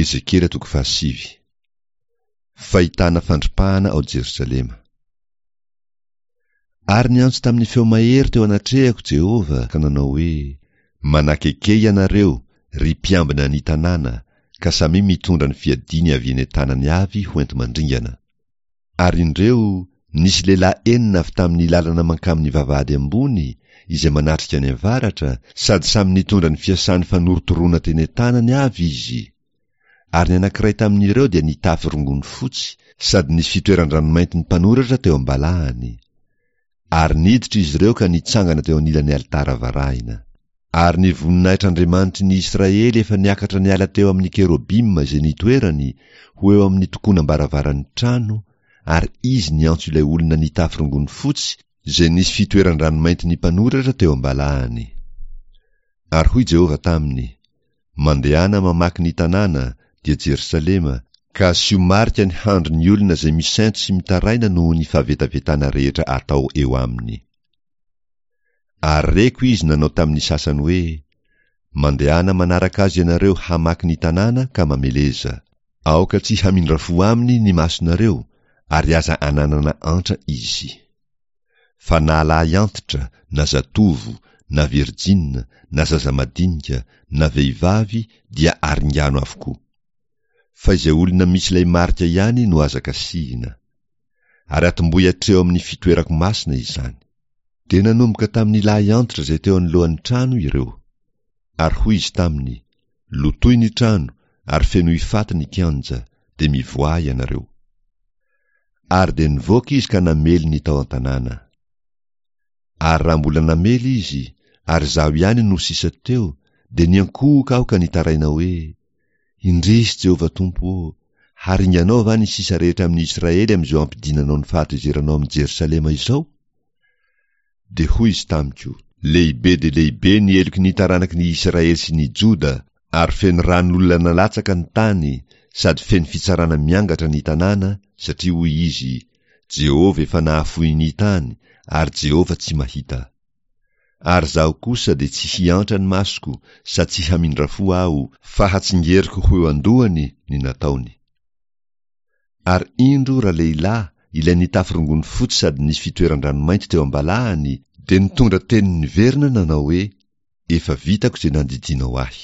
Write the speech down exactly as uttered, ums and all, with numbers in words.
Ezekiela toko fahasivy. Fahitana fandripahana ao Jerosalema. Ary niantso tamin'ny feo mahery teo anatrehako Jehovah ka nanao hoe, Manakeke ianareo, ry mpiambina ny tanàna, ka samia mitondra ny fiadiany avy eny an-tanany avy ho enti-mandringana. Ary indreo, nisy lehilahy enina avy tamin'ny lalana mankamin'ny vavahady ambony, izay manatrika any avaratra, sady samy nitondra ny fiasany fanorotoroana teny an-tanany avy izy. Ary ny anankiray tamin'ireo dia nitafy rongony fotsy, sady nisy fitoeran-dranomainty ny mpanoratra teo am-balahany. Ary niditra izy ireo ka nitsangana teo anilan'ny alitara varahina. Ary ny voninahitr'Andriamanitry ny Israely efa niakatra niala teo amin'ny kerobima izay nitoerany, ho eo amin'ny tokonam-baravaran'ny trano, ary izy niantso ilay olona nitafy rongony fotsy izay nisy fitoeran-dranomainty ny mpanoratra teo am-balahany. Ary hoy Jehovah taminy, Mandehana mamaky ny tanàna, dia Jerosalema, ka asio marika ny handrin'ny olona izay misento sy mitaraina noho ny fahavetavetana rehetra atao eo aminy. Ary reko izy nanao tamin'ny sasany hoe, Mandehana manaraka azy ianareo hamaky ny tanàna ka mameleza. Aoka tsy hamindra fo aminy ny masonareo, ary aza ananana antra izy. Fa na lahy antitra, na zatovo, na virjina, na zaza madinika, na vehivavy dia aringano avokoa. Fa izay olona misy ilay marika ihany no aza kasihina. Ary atombohy hatreo amin'ny fitoerako masina izany. Dia nanomboka tamin'ny lahy antitra izay teo anoloan'ny trano ireo. Ary hoy izy taminy, Lotoy ny trano, ary fenoy faty ny kianja, dia mivoaha ianareo. Ary dia nivoaka izy ka namely ny tao an-tanàna. Ary raha mbola namely izy, ary izaho ihany no sisa teo, dia niankohoka aho ka nitaraina hoe, Indrisy Jehovah Tompo ô, haringanao va ny sisa rehetra amin'ny Israely amin'izao ampidinanao ny fahatezeranao amin'i Jerosalema izao? Dia hoy izy tamiko, Lehibe dia lehibe ny heloky ny taranaky ny Israely sy ny Joda, ary feno ran'olona nalatsaka ny tany, sady feno fitsarana miangatra ny tanàna, satria hoy izy, Jehovah efa nahafoy ny tany, ary Jehovah tsy mahita. Ary izaho kosa dia tsy hiantra ny masoko, sady tsy hamindra fo aho, fa hatsingeriko ho eo an-dohany ny nataony. Ary indro ralehilahy, ilay nitafy rongony fotsy sady nisy fitoeran-dranomainty teo am-balahany, dia nitondra teny niverina nanao hoe, Efa vitako izay nandidianao ahy.